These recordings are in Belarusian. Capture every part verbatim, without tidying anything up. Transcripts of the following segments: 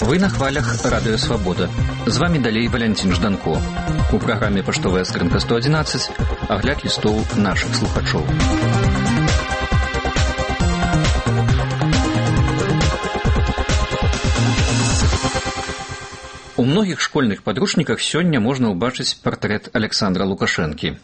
Вы на хвалях Радио Свобода. З вами далей Валянцін Жданко. У праграме «Паштовая скрынка сто одиннадцать» агляд лістоў нашых слухачоў. У многіх школьных падручніках сёння можна ўбачыць партрэт Александра Лукашэнкі.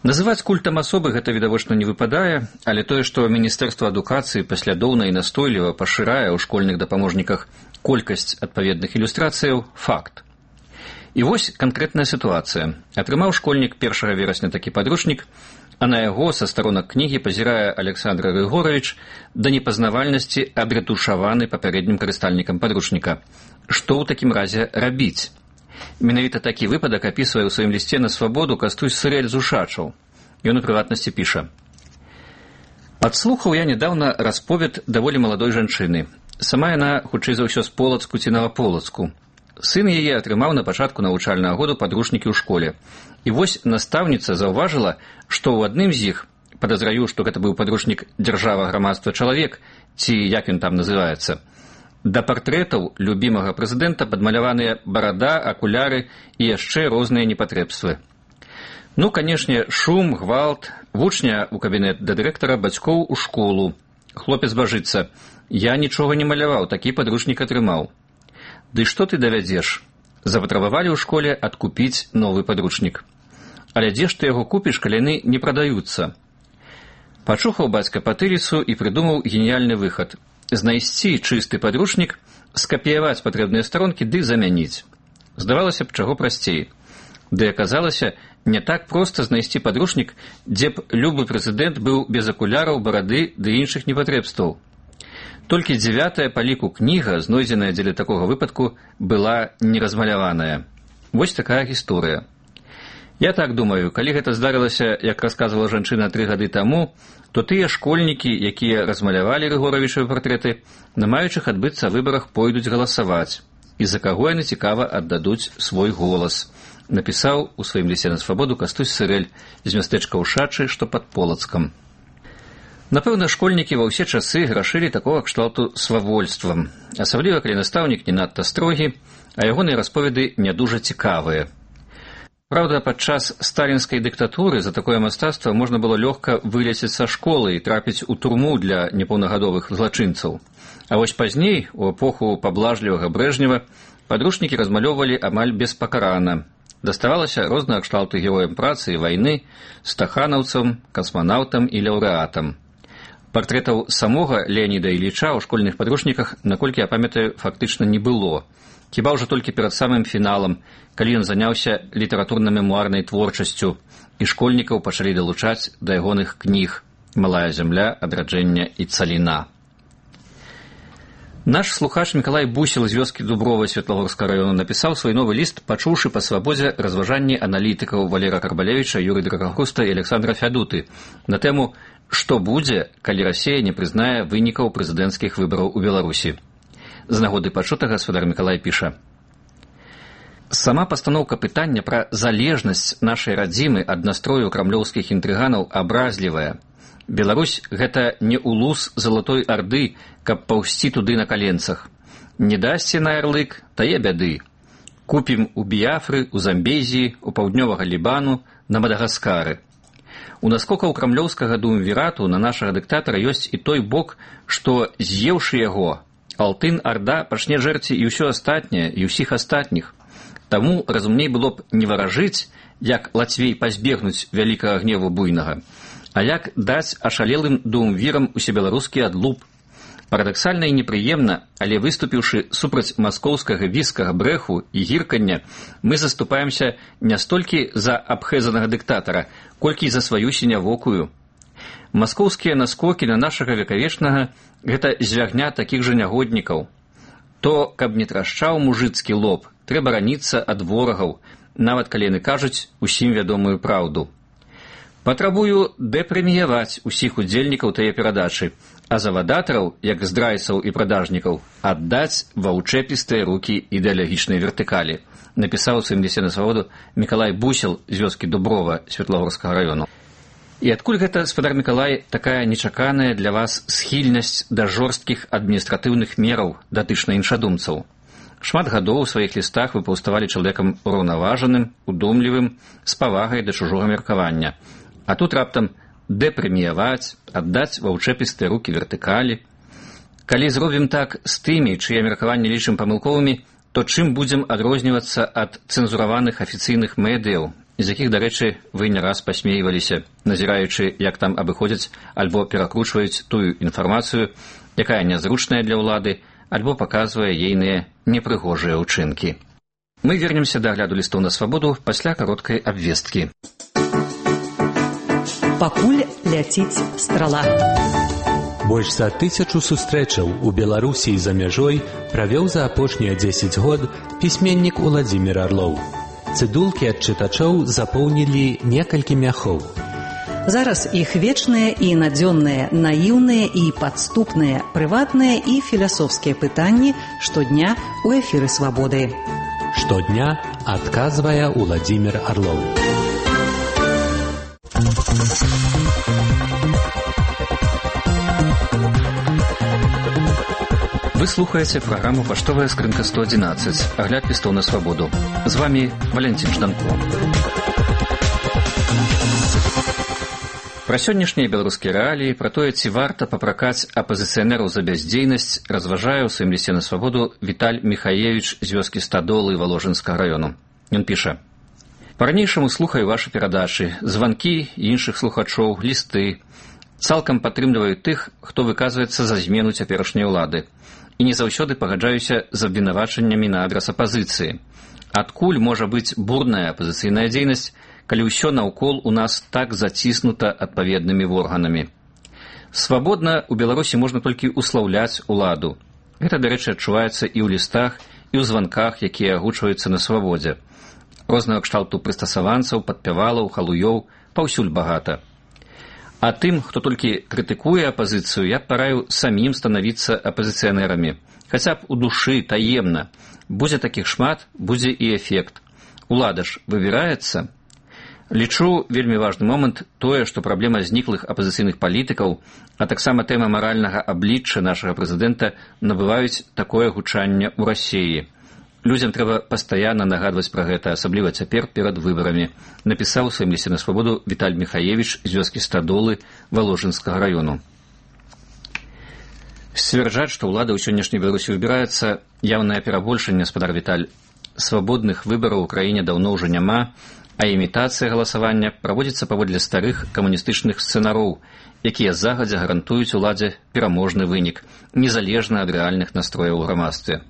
Называць культам асобы гэта відавочна не выпадае, але тое, што Міністэрства адукацыі паслядоўна і настойліва пашырае ў школьных дапаможніках колькасць адпаведных ілюстрацыяў – факт. І вось канкрэтная сітуацыя. Атрымаў школьнік першага верасня такі падручнік, а на яго са старонак кнігі пазірае Александр Григорович да непазнавальнасці абрэтушаваны папярэднім карыстальнікам падручніка. Што ў такім разе рабіць? Менавіта такі выпадак апісвае ў сваім лісце на свабоду Кастусь Сырэль з Ушачаў. Ён у прыватнасці піша. Падслухаў я нядаўна расповед даволі маладой жанчыны. Сама яна, хутчэй за ўсё, з Полацку ці Новаполацку. Сын яе атрымаў на пачатку навучальнага году падручнікі ў школе. І вось настаўніца заўважыла, што ў адным з іх, падазраю, што гэта быў падручнік «Дзяржава, грамадства, чалавек», ці як ён там называецца, да партрэтаў любімага прэзідэнта падмаляваныя барада, акуляры і яшчэ розныя непатрэбствы. Ну, канешне, шум, гвалт, вучня ў кабінет да дырэктара, бацькоў у школу. Хлопец бажыцца. Я нічога не маляваў, такі падручнік атрымаў. Ды што ты давядзеш? Запатрабавалі ў школе адкупіць новы падручнік. Але дзе ж ты яго купіш, калі яны не прадаюцца? Пачухаў бацька патыліцу і прыдумаў геніяльны выхад. Знайсці чысты падручнік, скапіяваць патрэбныя старонкі ды замяніць. Здавалася б, чаго прасцей. Ды аказалася, не так проста знайсці падручнік, дзе б любы прэзідэнт быў без акуляраў, барады ды іншых непатрэбстваў. Толькі дзявятая па ліку кніга, знойдзеная дзеля такога выпадку, была неразмаляваная. Вось такая гісторыя. Я так думаю, калі гэта здарылася, як расказвала жанчына тры гады таму, то тыя школьнікі, якія размалявалі Рыгоравічавы партрэты, на маючых адбыцца выбарах пойдуць галасаваць, і за каго яны цікава аддадуць свой голас, напісаў у сваім лісце на свабоду Кастусь Сырэль з мястэчка Ушачы, што пад Полацкам. Напэўна, школьнікі ва ўсе часы грашылі такога кшталту свавольствам, асабліва калі настаўнік не надта строгі, а ягоныя расповеды не дужа цікавыя. Праўда, падчас сталінскай дыктатуры за такое мастацтва можна было лёгка вылецець са школы і трапіць у турму для непаўнагадовых злачынцаў. А вось пазней, у эпоху паблажлівага Брэжнева, падручнікі размалёвалі амаль беспакарана. Даставалася рознага кшталту героям працы і вайны, стаханаўцам, касманаўтам і лаўрэатам. Партрэтаў самога Леаніда Іліча ў школьных падручніках, наколькі я памятаю, фактычна не было. Хіба ўжо толькі перад самым фіналам, калі ён заняўся літаратурна-мемуарнай творчасцю, і школьнікаў пачалі далучаць да ягоных кніг «Малая зямля», «Адраджэнне» і «Цаліна». Наш слухач Мікалай Бусел з вёскі Дуброва Светлагорскага раёну напісаў свой новы ліст, пачуўшы па свабодзе разважанні аналітыкаў Валера Карбалевіча, Юры Драгахруста і Александра Фядуты на тэму «Што будзе, калі Расія не прызнае вынікаў прэзідэнцкіх выбараў у Беларусі». З нагоды пачутага спадар Мікалай піша. Сама пастаноўка пытання пра залежнасць нашай радзімы ад настрою крамлёўскіх інтрыганаў абразлівая. Беларусь – гэта не улус залатой арды, каб паўсці туды на каленцах. Не дасце на ярлык, тае бяды. Купім у Біяфры, у Замбезіі, у паўднёвага Лібану, на Мадагаскары. У наскокаў крамлёўскага дуумвірату на нашага дыктатара ёсць і той бок, што, з'еўшы яго, Алтын-Арда пачне жэрці і ўсё астатняе, і ўсіх астатніх. Таму разумней было б не варажыць, як лацвей пазбегнуць вялікага гневу буйнага, а як даць ашалелым дуумвірам усебеларускі адлуп. Парадаксальна і непрыемна, але выступіўшы супраць маскоўскага віскага брэху і гіркання, мы заступаемся не столькі за абхэзанага дыктатара, колькі за сваю сінявокую. Маскоўскія наскокі на нашага векавечнага – гэта звягня такіх жа нягоднікаў. То, каб не трашчаў мужыцкі лоб, трэба раніцца ад ворагаў, нават калі яны кажуць усім вядомую праўду. Патрабую дэпрэміяваць усіх удзельнікаў тае перадачы, а завадатараў, як здрайцаў і прадажнікаў, аддаць ва ўчэпістыя рукі ідэалагічнай вертыкалі, напісаў у сваім лісце на свабоду Мікалай Бусел з вёскі Дуброва Светлагорскага раёну. І адкуль гэта, спадар Мікалай, такая нечаканая для вас схільнасць да жорсткіх адміністратыўных мераў датычна іншадумцаў? Шмат гадоў у сваіх лістах вы паўставалі чалавекам ураўнаважаным, удумлівым, з павагай да чужога меркавання. А тут раптам дэпрэміяваць, аддаць ва ўчэпістыя рукі вертыкалі. Калі зробім так з тымі, чые меркаванні лічым памылковымі, то чым будзем адрознівацца ад цэнзураваных афіцыйных медыяў, з якіх, дарэчы, вы не раз пасмейваліся, назіраючы, як там абыходзяць альбо перакручваюць тую інфармацыю, якая нязручная для ўлады, альбо паказвае ейныя непрыгожыя ўчынкі. Мы вернемся да агляду лістоў на свабоду пасля кароткай абвесткі. Пакуль ляціць страла. Больш за тысячу сустрэчаў у Беларусі і за мяжой правёў за апошнія дзесяць год пісьменнік Уладзімір Арлоў. Цыдулкі ад чытачоў запоўнілі некалькі мяхоў. Зараз іх вечныя і надзённыя, наіўныя і падступныя, прыватныя і філасофскія пытанні штодня ў эфіры «Свабоды». Штодня адказвае Уладзімір Арлоў. Вы слухаеце праграму «Паштовая скрынка сто адзінаццаць», агляд лістоў на свабоду. З вами Валентин Жданко. Пра сённяшнія беларускія рэаліі, пра тое, ці варта папракаць апазіцыянераў за бяздзейнасць, разважае ў сваім лісце на свабоду Віталь Міхаевіч з вёскі Стадолы Валожынскага раёну. Ён піша: «Па-ранейшаму слухаю вашы перадачы, званкі іншых слухачоў, лісты. Цалкам падтрымліваю тых, хто выказваецца за змену цяперашняй улады. І не заўсёды пагаджаюся з абвінавачаннямі на адрас апазіцыі. Адкуль можа быць бурная апазіцыйная дзейнасць, калі ўсё наўкол у нас так заціснута адпаведнымі органамі? Свабодна ў Беларусі можна толькі услаўляць уладу. Гэта, дарэчы, адчуваецца і ў лістах, і ў званках, якія агучваюцца на свабодзе. Рознага кшталту прыстасаванцаў, падпявалаў, халуёў паўсюль багата. А тым, хто толькі крытыкуе апазіцыю, я параю самім станавіцца апазіцыянерамі. Хаця б у душы, таемна. Будзе такіх шмат, будзе і эфект. Улада ж выбіраецца. Лічу вельмі важны момант тое, што праблема зніклых апазіцыйных палітыкаў, а таксама тэма маральнага аблічча нашага прэзідэнта набываюць такое гучанне ў Расіі. Людзям трэба пастаянна нагадваць пра гэта, асабліва цяпер перад выбарамі, напісаў у сваім лісце на свабоду Віталь Міхаевіч з вёскі Стадолы Валожынскага раёну. Сцвярджаць, што ўлада ў сённяшняй Беларусі выбіраецца, яўнае перабольшанне, спадар Віталь. Свабодных выбараў у краіне даўно ўжо няма, а імітацыя галасавання праводзіцца паводле старых камуністычных сцэнароў, якія загадзя гарантуюць уладзе пераможны вынік, незалежна ад рэальных настрояў у грамадстве.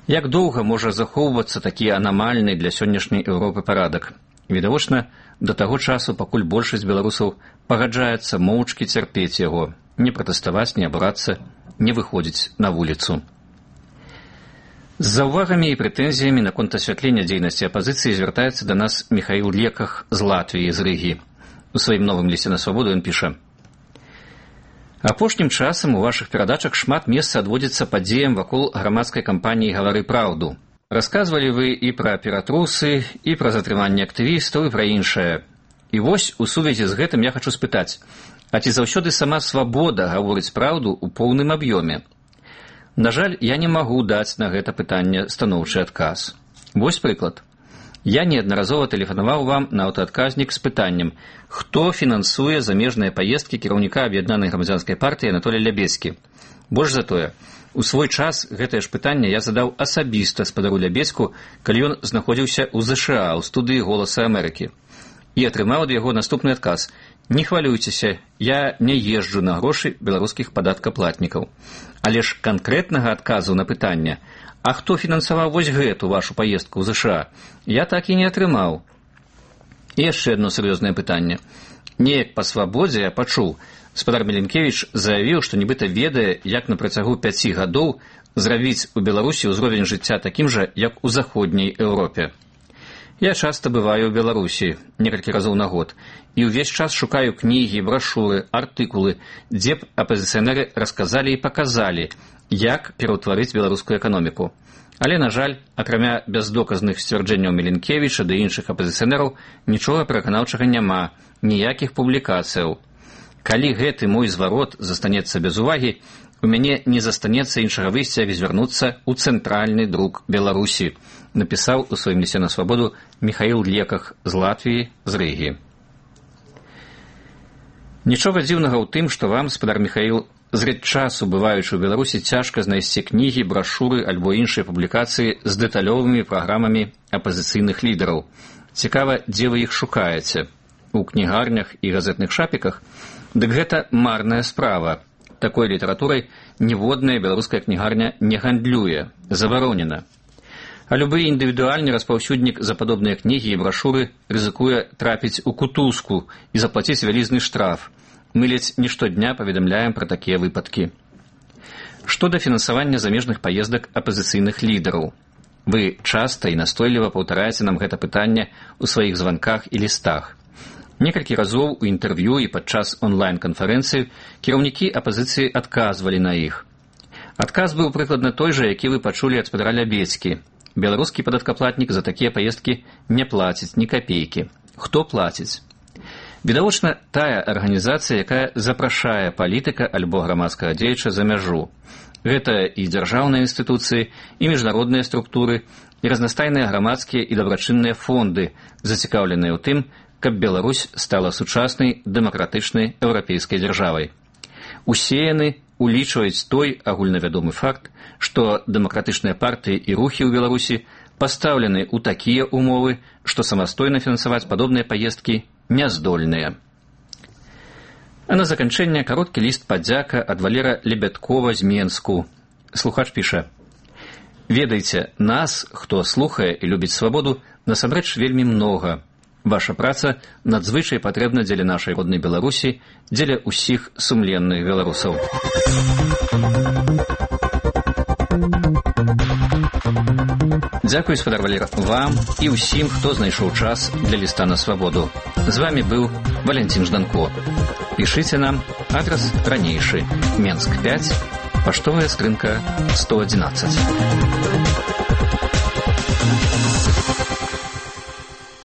Як доўга можа захоўвацца такі анамальны для сённяшняй Еўропы парадак? Відавочна, да таго часу, пакуль большасць беларусаў пагаджаецца моўчкі цярпець яго, не пратэставаць, не абрацца, не выходзіць на вуліцу. З заўвагамі і прэтэнзіямі наконт асвятлення дзейнасці апазіцыі звяртаецца да нас Міхаіл Леках з Латвіі, з Рыгі. У сваім новым лісце на свабоду ён піша: «Апошнім часам у вашых перадачах шмат месца адводзіцца падзеям вакол грамадскай кампаніі «Гавары праўду». Расказвалі вы і пра ператрусы, і пра затрыманне актывістаў, і пра іншае. І вось у сувязі з гэтым я хачу спытаць, а ці заўсёды сама свабода гаворыць праўду ў поўным аб'ёме? На жаль, я не магу даць на гэта пытанне станоўчы адказ. Вось прыклад. Я неаднаразова тэлефанаваў вам на аўтаадказнік з пытаннем, хто фінансуе замежныя паездкі кіраўніка аб'яднанай грамадзянскай партыі Анатолія Лябецкі. Больш за тое, у свой час гэтае ж пытанне я задаў асабіста спадару Лябецку, калі ён знаходзіўся ў ЗША, у студыі «Голаса Амерыкі». І атрымаў ад яго наступны адказ: «Не хвалюйцеся, я не езджу на грошы беларускіх падаткаплатнікаў». Але ж канкрэтнага адказу на пытанне, а хто фінансаваў вось гэту вашу паездку ў ЗША, я так і не атрымаў. І яшчэ адно сур'ёзнае пытанне. Неяк па свабодзе я пачуў, спадар Меленкевіч заявіў, што нібыта ведае, як на працягу пяці гадоў зрабіць у Беларусі ўзровень жыцця такім жа, як у заходняй Еўропе. Я часта бываю ў Беларусі некалькі разоў на год і ўвесь час шукаю кнігі, брашуры, артыкулы, дзе б апазіцыянеры расказалі і паказалі, як пераўтварыць беларускую эканоміку. Але, на жаль, акрамя бяздоказных сцвярджэнняў Міленкевіча ды іншых апазіцыянераў, нічога пераканаўчага няма, ніякіх публікацыяў. Калі гэты мой зварот застанецца без увагі, у мяне не застанецца іншага выйсця, як звярнуцца ў цэнтральны друк Беларусі, напісаў у сваім лісце на свабоду Міхаіл Леках з Латвіі, з Рыгі. Нічога дзіўнага ў тым, што вам, спадар Міхаіл, зрэд часу, бываючы ў Беларусі, цяжка знайсці кнігі, брашуры альбо іншыя публікацыі з дэталёвымі праграмамі апазіцыйных лідараў. Цікава, дзе вы іх шукаеце? У кнігарнях і газетных шапіках? Дык гэта марная справа. Такой літаратурай ніводная беларуская кнігарня не гандлюе, забаронена. А любы індывідуальны распаўсюднік за падобныя кнігі і брашуры рызыкуе трапіць у кутузку і заплаціць вялізны штраф. Мы ледзь не штодня паведамляем пра такія выпадкі. Што да фінансавання замежных паездак апазіцыйных лідараў? Вы часта і настойліва паўтараеце нам гэта пытанне ў сваіх званках і лістах. Некалькі разоў у інтэрв'ю і падчас онлайн-канферэнцыі кіраўнікі апазіцыі адказвалі на іх. Адказ быў прыкладна той жа, які вы пачулі ад спадара Лябедзькі. Беларускі падаткаплатнік за такія паездкі не плаціць ні капейкі. Хто плаціць? Відавочна, тая арганізацыя, якая запрашае палітыка альбо грамадскага дзеяча за мяжу. Гэта і дзяржаўныя інстытуцыі, і міжнародныя структуры, і разнастайныя грамадскія і дабрачынныя фонды, зацікаўленыя ў тым, каб Беларусь стала сучаснай дэмакратычнай еўрапейскай дзяржавай. Усе яны улічваюць той агульнавядомы факт, што дэмакратычныя партыі і рухі ў Беларусі пастаўлены ў такія ўмовы, што самастойна фінансаваць падобныя паездкі няздольныя. А на заканчэнне кароткі ліст падзяка ад Валера Лебядкова з Менску. Слухач піша: «Ведайце, нас, хто слухае і любіць свабоду, насамрэч вельмі многа. Ваша праца надзвычай патрэбна дзеля нашай роднай Беларусі, дзеля ўсіх сумленных беларусаў». Дзякуй, спадар Валера, вам і ўсім, хто знайшоў час для ліста на свабоду. З вами быў Валентин Жданко. Пішыце нам, адрас ранейшы, Менск пяць, паштовая скрынка сто адзінаццаць.